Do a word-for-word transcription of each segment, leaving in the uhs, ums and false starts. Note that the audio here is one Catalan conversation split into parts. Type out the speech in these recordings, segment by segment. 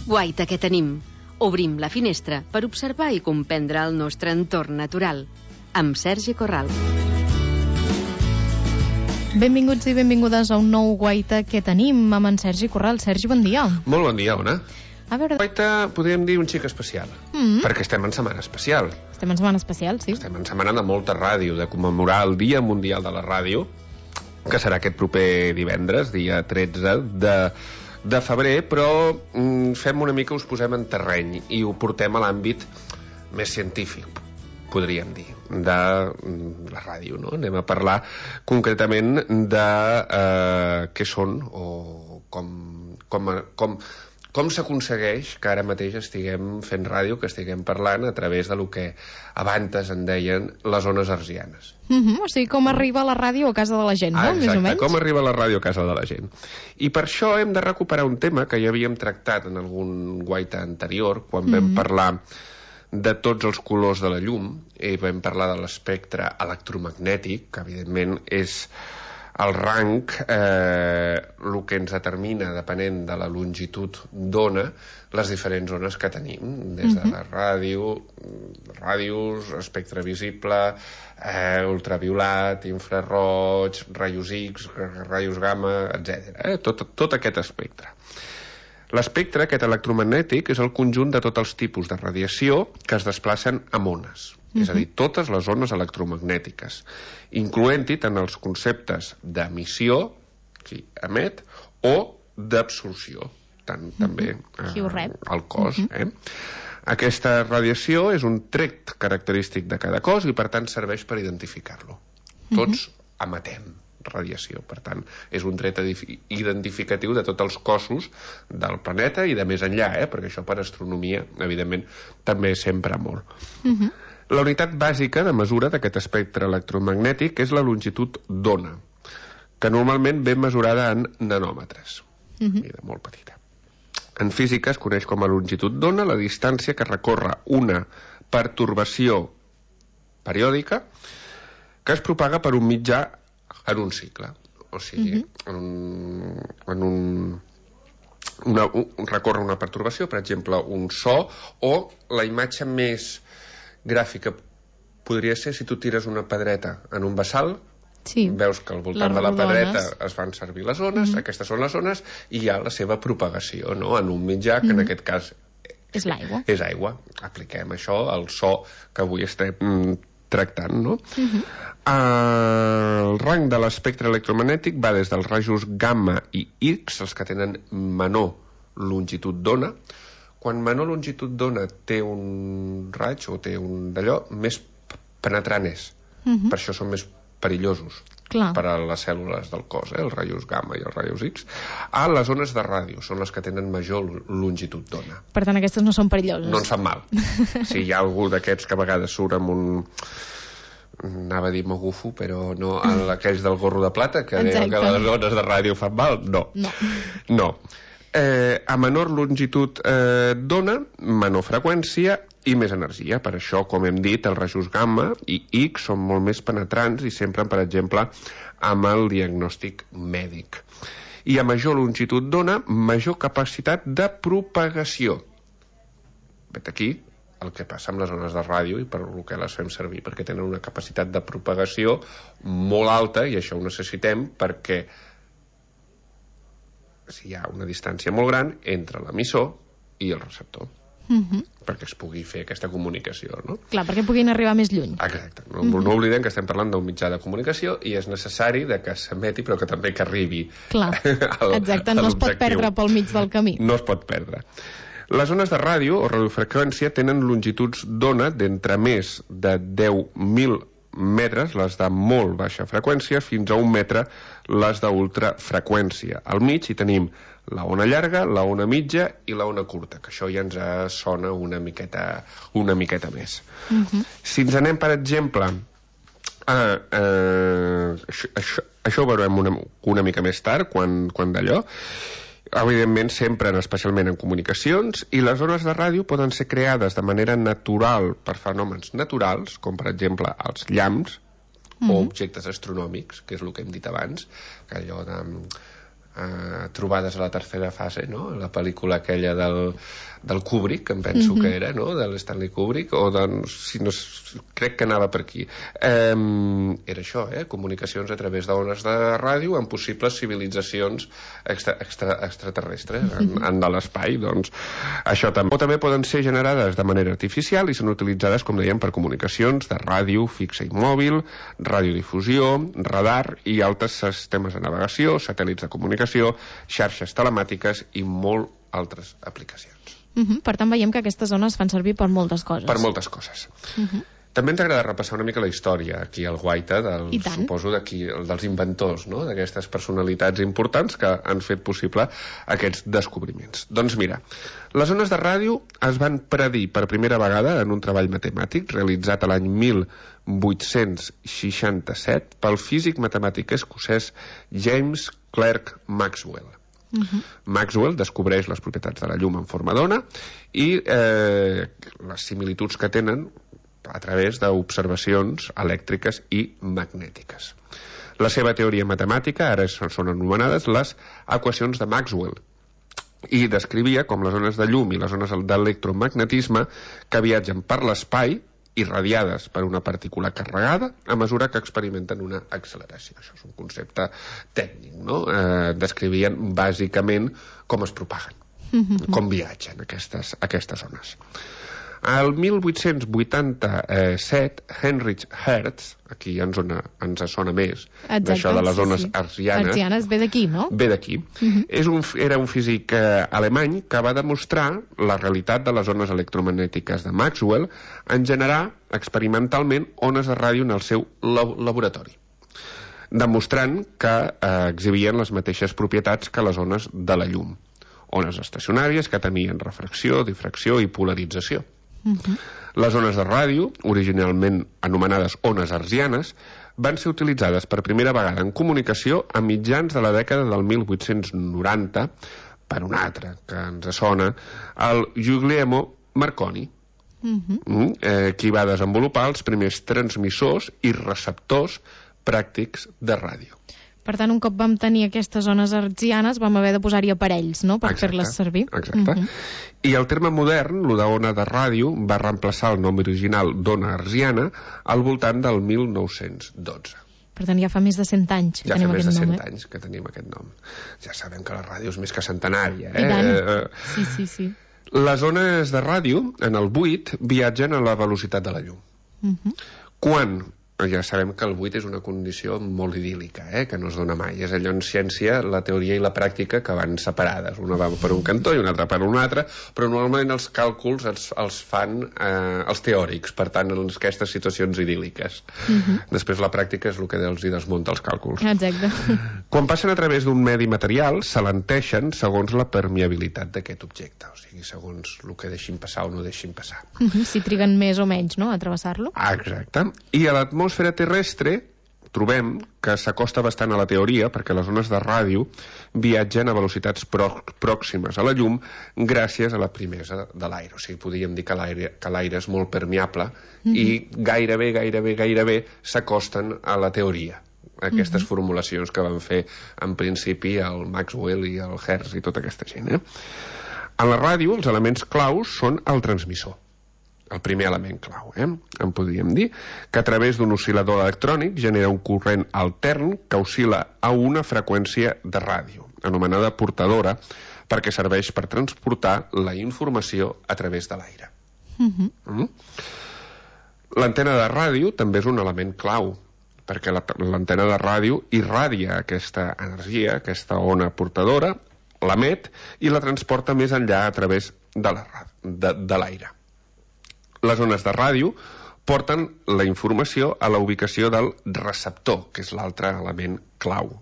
Guaita que tenim. Obrim la finestra per observar i comprendre el nostre entorn natural. Amb Sergi Corral. Benvinguts i benvingudes a un nou Guaita que tenim amb en Sergi Corral. Sergi, bon dia. Molt bon dia, Ona. A veure... Guaita podríem dir un xic especial, mm-hmm. perquè estem en setmana especial. Estem en setmana especial, sí. Estem en setmana de molta ràdio, de commemorar el Dia Mundial de la Ràdio, que serà aquest proper divendres, dia tretze de... de febrer, però mm, fem una mica, us posem en terreny i ho portem a l'àmbit més científic, podríem dir, de mm, la ràdio, no? Anem a parlar concretament de eh, què són o com, com, com, com s'aconsegueix que ara mateix estiguem fent ràdio, que estiguem parlant a través de lo que abans en deien les ones hertzianes. Mm-hmm, o sigui, com arriba la ràdio a casa de la gent, no? Ah, exacte, més o menys. Com arriba la ràdio a casa de la gent. I per això hem de recuperar un tema que ja havíem tractat en algun guaita anterior, quan vam mm-hmm. parlar de tots els colors de la llum, i vam parlar de l'espectre electromagnètic, que evidentment és el rang, eh, el que ens determina, depenent de la longitud d'ona, les diferents ones que tenim, des de la ràdio, ràdios, espectre visible, eh, ultraviolat, infraroig, rajos X, rajos gamma, etcètera. Eh? Tot, tot aquest espectre. L'espectre, aquest electromagnètic, és el conjunt de tots els tipus de radiació que es desplacen amb ones. Uh-huh. És a dir, totes les ones electromagnètiques, incloent-hi tant els conceptes d'emissió, que emet, o d'absorció, tant uh-huh. també eh, el cos. Uh-huh. eh? Aquesta radiació és un tret característic de cada cos i, per tant, serveix per identificar-lo. Tots uh-huh. emetem radiació, per tant, és un tret identificatiu de tots els cossos del planeta i de més enllà, eh? Perquè això per astronomia, evidentment, també s'empra molt. Uh-huh. La unitat bàsica de mesura d'aquest espectre electromagnètic és la longitud d'ona, que normalment ve mesurada en nanòmetres, uh-huh. i de molt petita. En física es coneix com a longitud d'ona la distància que recorre una pertorbació periòdica que es propaga per un mitjà en un cicle, o sigui, uh-huh. en un, en un, una, un recorre una pertorbació, per exemple, un so, o la imatge més gràfica podria ser si tu tires una pedreta en un bassal, sí. veus que al voltant les de la pedreta es fan servir les ones, uh-huh. aquestes són les ones, i hi ha la seva propagació, no?, en un mitjà, que uh-huh. en aquest cas és l'aigua. És aigua. Apliquem això al so que avui estem mm, tractant, no? Uh-huh. Uh, el rang de l'espectre electromagnètic va des dels rajos gamma i X, els que tenen menor longitud d'ona. Quan menor longitud d'ona té un raig o té un d'allò, més penetrant és. Uh-huh. Per això són més perillosos. Clar. Per a les cèl·lules del cos, eh? Els rajos gamma i els rajos X. Ah, les ones de ràdio són les que tenen major longitud d'ona. Per tant, aquestes no són perilloses. No ens fan mal. Si hi ha algú d'aquests que a vegades surt amb un... anava a dir mogufo, però no, aquells del gorro de plata, que deien que les ones de ràdio fan mal, no. No. no. Eh, a menor longitud eh, d'ona, menor freqüència i més energia. Per això, com hem dit, els rajos gamma i X són molt més penetrants i s'empren, per exemple, amb el diagnòstic mèdic. I a major longitud d'ona, major capacitat de propagació. Vet aquí el que passa amb les ones de ràdio i per què les fem servir, perquè tenen una capacitat de propagació molt alta, i això ho necessitem perquè si hi ha una distància molt gran entre l'emissor i el receptor, uh-huh. perquè es pugui fer aquesta comunicació, no? Clar, perquè puguin arribar més lluny. Exacte. No, uh-huh. no oblidem que estem parlant d'un mitjà de comunicació i és necessari de que s'emeti, però que també que arribi. Clar, al, exacte, no es pot perdre pel mig del camí. No es pot perdre. Les ones de ràdio o radiofreqüència tenen longituds d'ona d'entre més de deu mil metres, les de molt baixa freqüència, fins a un metre, les d'ultrafreqüència. Al mig hi tenim la ona llarga, la ona mitja i la ona curta, que això ja ens sona una miqueta, una miqueta més. Uh-huh. Si ens anem, per exemple, a, a, això, això, això ho veurem una, una mica més tard, quan, quan d'allò, evidentment s'empren especialment en comunicacions, i les ones de ràdio poden ser creades de manera natural per fenòmens naturals, com per exemple els llamps, mm-hmm. o objectes astronòmics, que és el que hem dit abans, que allò de uh, trobades a la tercera fase, no? La pel·lícula aquella del, del Kubrick, em penso mm-hmm. que era, no? De l'Stanley Kubrick, o de, si no, crec que anava per aquí. Um, era això, eh? Comunicacions a través d'ones de ràdio amb possibles civilitzacions extra, extra, extraterrestres mm-hmm. en, en de l'espai, doncs això també. O també poden ser generades de manera artificial i són utilitzades, com dèiem, per comunicacions de ràdio fixa i mòbil, radiodifusió, radar i altres sistemes de navegació, satèl·lits de comunicació, xarxes telemàtiques i molt altres aplicacions. Uh-huh. Per tant, veiem que aquestes zones fan servir per moltes coses. Per moltes coses. Uh-huh. També ens agrada repassar una mica la història aquí al Guaita, del, suposo d'aquí, dels inventors, no? D'aquestes personalitats importants que han fet possible aquests descobriments. Doncs mira, les ones de ràdio es van predir per primera vegada en un treball matemàtic realitzat a l'any mil vuit-cents seixanta-set pel físic matemàtic escocès James Clerk Maxwell. Uh-huh. Maxwell descobreix les propietats de la llum en forma d'ona i eh, les similituds que tenen a través d'observacions elèctriques i magnètiques. La seva teoria matemàtica ara són anomenades les equacions de Maxwell i descrivia com les ones de llum i les ones d'electromagnetisme que viatgen per l'espai irradiades per una partícula carregada a mesura que experimenten una acceleració. Això és un concepte tècnic, no? Eh, descrivien bàsicament com es propaguen, mm-hmm. com viatgen aquestes, aquestes ones. Al mil vuit-cents vuitanta-set, Heinrich Hertz, aquí ens, ona, ens sona més, exacte, d'això de les ones sí, sí. arsianes. Arsianes ve d'aquí, no? Ve d'aquí. Uh-huh. És un, era un físic eh, alemany que va demostrar la realitat de les ones electromagnètiques de Maxwell en generar experimentalment ones de ràdio en el seu lab laboratori, demostrant que eh, exhibien les mateixes propietats que les ones de la llum. Ones estacionàries que tenien refracció, difracció i polarització. Uh-huh. Les ones de ràdio, originalment anomenades ones arsianes, van ser utilitzades per primera vegada en comunicació a mitjans de la dècada del mil vuit-cents noranta per un altre que ens sona, el Guglielmo Marconi, uh-huh. mm, eh, qui va desenvolupar els primers transmissors i receptors pràctics de ràdio. Per tant, un cop vam tenir aquestes ones arsianes, vam haver de posar-hi aparells, no?, per fer-les servir. Exacte. Uh-huh. I el terme modern, el d'ona de ràdio, va reemplaçar el nom original d'ona arsiana al voltant del mil nou-cents dotze. Per tant, ja fa més de cent anys que ja tenim aquest nom. Ja fa més de cent eh? anys que tenim aquest nom. Ja sabem que la ràdio és més que centenària, eh? I tant. Sí, sí, sí. Les ones de ràdio, en el buit, viatgen a la velocitat de la llum. Uh-huh. Quan... Ja sabem que el buit és una condició molt idíl·lica, eh? Que no es dona mai. És allò en ciència, la teoria i la pràctica que van separades. Una va per un cantó i una altra per un altre, però normalment els càlculs els, els fan eh, els teòrics, per tant, en aquestes situacions idíl·liques. Uh-huh. Després la pràctica és el que els hi desmunta els càlculs. Exacte. Quan passen a través d'un medi material, s'alenteixen segons la permeabilitat d'aquest objecte, o sigui, segons el que deixin passar o no deixin passar. Uh-huh. Si triguen més o menys, no?, a travessar-lo. Ah, exacte. I a l'atmosfera l'atmosfera terrestre trobem que s'acosta bastant a la teoria perquè les ones de ràdio viatgen a velocitats pròximes a la llum gràcies a la primesa de l'aire. O sigui, podríem dir que l'aire que l'aire és molt permeable mm-hmm. i gairebé, gairebé, gairebé s'acosten a la teoria. Aquestes mm-hmm. formulacions que van fer en principi el Maxwell i el Hertz i tota aquesta gent. Eh? En la ràdio, els elements claus són el transmissor. El primer element clau, eh? En podríem dir, que a través d'un oscil·lador electrònic genera un corrent altern que oscil·la a una freqüència de ràdio, anomenada portadora, perquè serveix per transportar la informació a través de l'aire. Mm-hmm. Mm? L'antena de ràdio també és un element clau, perquè l'antena de ràdio irradia aquesta energia, aquesta ona portadora, l'emet i la transporta més enllà a través de la, de, de l'aire. Les ones de ràdio porten la informació a la ubicació del receptor, que és l'altre element clau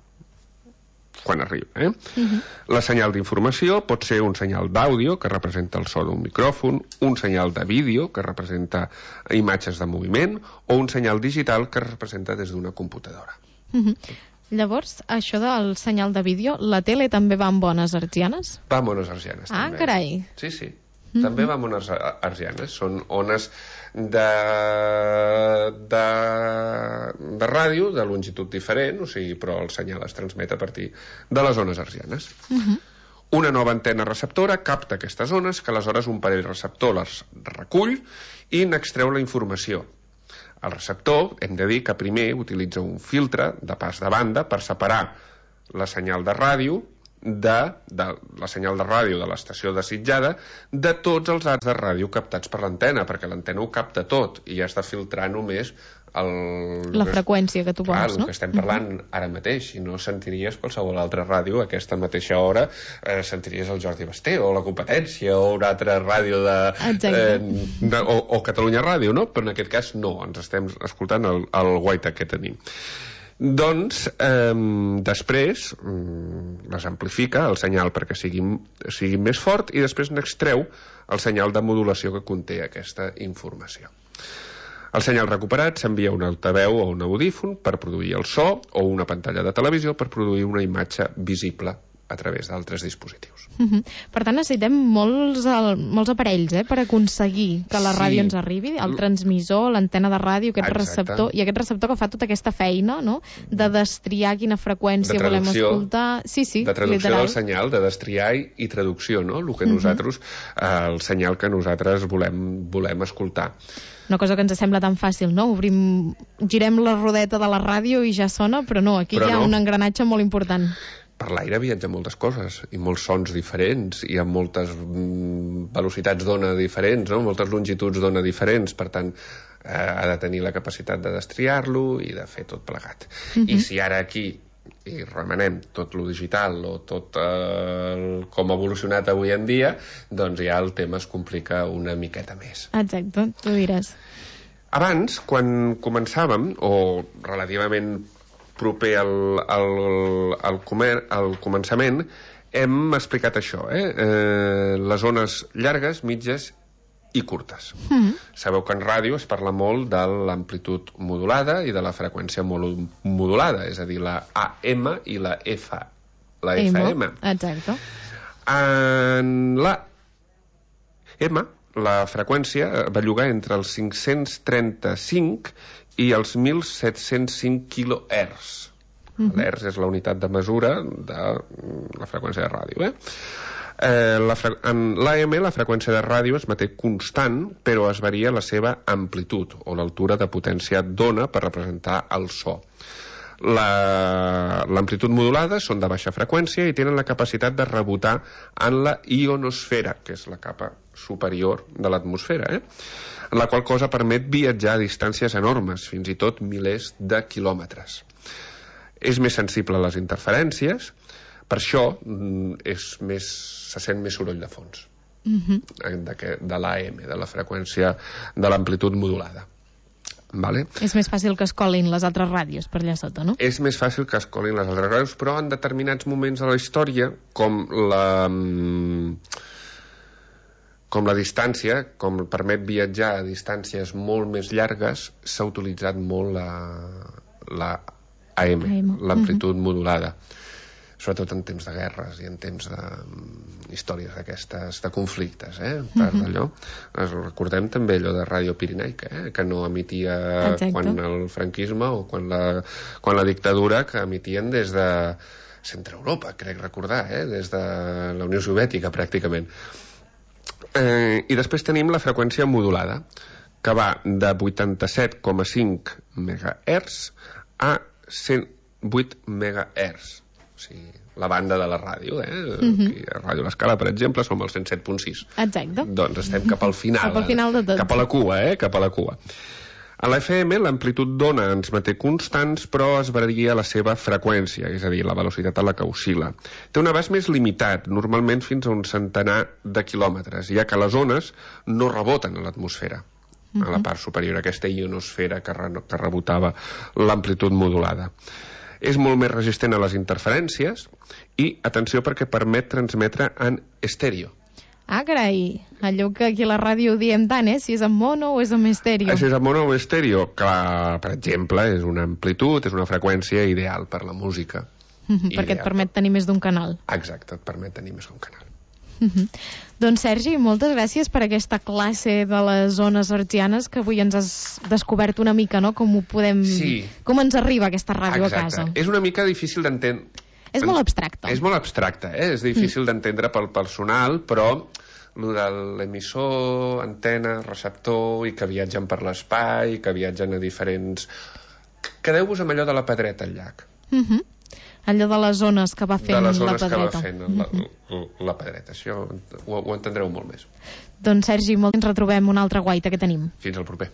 quan arriba. Eh? Uh-huh. La senyal d'informació pot ser un senyal d'àudio, que representa el so d'un micròfon, un senyal de vídeo, que representa imatges de moviment, o un senyal digital, que representa des d'una computadora. Uh-huh. Llavors, això del senyal de vídeo, la tele també va amb bones arsianes? Va amb ones arsianes, ah, també. Ah, carai. Sí, sí. Mm-hmm. També va amb ones arsianes. Són ones de, de, de ràdio, de longitud diferent, o sigui, però el senyal es transmet a partir de les ones arsianes. Mm-hmm. Una nova antena receptora capta aquestes ones, que aleshores un parell receptor les recull i n'extreu la informació. El receptor, hem de dir que primer utilitza un filtre de pas de banda per separar la senyal de ràdio de, de la senyal de ràdio de l'estació desitjada de tots els arcs de ràdio captats per l'antena, perquè l'antena ho capta tot i ja està filtrant només el, la freqüència que tu vols, clar, no? El que estem parlant uh-huh. ara mateix. Si no sentiries qualsevol altra ràdio a aquesta mateixa hora, eh, sentiries el Jordi Basté o la competència o una altra ràdio de, eh, de o, o Catalunya Ràdio, no? Però en aquest cas no, ens estem escoltant el, el guaita que tenim. Doncs eh, després mm, les amplifica el senyal perquè sigui, sigui més fort i després n'extreu el senyal de modulació que conté aquesta informació. El senyal recuperat s'envia a un altaveu o un audífon per produir el so o una pantalla de televisió per produir una imatge visible a través d'altres dispositius. Uh-huh. Per tant, necessitem molts, el, molts aparells eh, per aconseguir que la ràdio sí. ens arribi, el transmissor, l'antena de ràdio, aquest Exacte. receptor, i aquest receptor que fa tota aquesta feina, no?, de destriar quina freqüència volem escoltar. Sí, sí, de traducció literal. del senyal, de destriar i, i traducció, no?, el que nosaltres, uh-huh. eh, el senyal que nosaltres volem, volem escoltar. Una cosa que ens sembla tan fàcil, no? Obrim, girem la rodeta de la ràdio i ja sona, però no, aquí però hi ha no. un engranatge molt important. Per l'aire viatgen moltes coses i molts sons diferents i amb moltes mm, velocitats d'ona diferents, no? Moltes longituds d'ona diferents, per tant eh, ha de tenir la capacitat de destriar-lo i de fer tot plegat. Uh-huh. I si ara aquí i remenem tot lo digital o tot eh, com ha evolucionat avui en dia, doncs ja el tema es complica una miqueta més. Exacte, tu diràs. Abans, quan començàvem, o relativament proper al, al, al, comer, al començament, hem explicat això, eh? Eh, les ones llargues, mitges i curtes. Mm-hmm. Sabeu que en ràdio es parla molt de l'amplitud modulada i de la freqüència modulada, és a dir, la A M i la F, la F M. Exacte. En la M, la freqüència belluga entre els cinc-cents trenta-cinc i els mil set-cents cinc quilohertz. Mm-hmm. L'hertz és la unitat de mesura de la freqüència de ràdio, eh? Eh, la fre... En l'A M la freqüència de ràdio es manté constant, però es varia la seva amplitud o l'altura de potència d'ona per representar el so. La... L'amplitud modulada són de baixa freqüència i tenen la capacitat de rebotar en la ionosfera, que és la capa superior de l'atmosfera, eh? En la qual cosa permet viatjar a distàncies enormes, fins i tot milers de quilòmetres. És més sensible a les interferències, per això és més, se sent més soroll de fons, mm-hmm. de, de l'A M, de la freqüència de l'amplitud modulada. Vale? És més fàcil que es colin les altres ràdios per allà sota, no? És més fàcil que es colin les altres ràdios, però en determinats moments de la història, com la... com la distància, com permet viatjar a distàncies molt més llargues, s'ha utilitzat molt la, la A M, A M. l'amplitud mm-hmm. modulada. Sobretot en temps de guerres i en temps de um, històries d'aquestes, de conflictes, eh? Per mm-hmm. allò. Recordem també allò de Ràdio Pirinaica, eh? Que no emetia Exacte. Quan el franquisme o quan la, quan la dictadura, que emetien des de Centre Europa, crec recordar, eh? Des de la Unió Soviètica, pràcticament. Eh, I després tenim la freqüència modulada, que va de vuitanta-set coma cinc megahertz a cent vuit megahertz. O sigui, la banda de la ràdio, eh? Mm-hmm. Aquí a Ràdio L'Escala, per exemple, som al cent set punt sis. Exacte. Doncs estem cap al final. Cap al final de tot. Cap a la cua, eh? Cap a la cua. A la F M l'amplitud d'ona ens manté constants, però es varia la seva freqüència, és a dir, la velocitat a la que oscil·la. Té un abast més limitat, normalment fins a un centenar de quilòmetres, ja que les ones no reboten a l'atmosfera, mm-hmm. a la part superior, aquesta ionosfera que, re que rebotava l'amplitud modulada. És molt més resistent a les interferències i, atenció, perquè permet transmetre en estèreo. Ah, carai, allò que aquí a la ràdio diem tant, eh? Si és en mono o és en estèreo. Això és en mono o estèreo? Clar, per exemple, és una amplitud, és una freqüència ideal per la música. Perquè et permet tenir més d'un canal. Exacte, et permet tenir més d'un canal. Doncs Sergi, moltes gràcies per aquesta classe de les ones hertzianes que avui ens has descobert una mica, no? Com ho podem... Sí. Com ens arriba aquesta ràdio Exacte. a casa. És una mica difícil d'entendre. És molt abstracte. És molt abstracte, eh? És difícil mm. d'entendre pel personal, però el de l'emissor, antena, receptor, i que viatgen per l'espai, que viatgen a diferents... Quedeu-vos amb allò de la pedreta al llac. Mhm. Allò de les zones que va fent la pedreta. De les zones que va fent la, la, la pedreta. Això ho, ho entendreu molt més. Doncs, Sergi, molt ens retrobem una altra guaita que tenim. Fins al proper.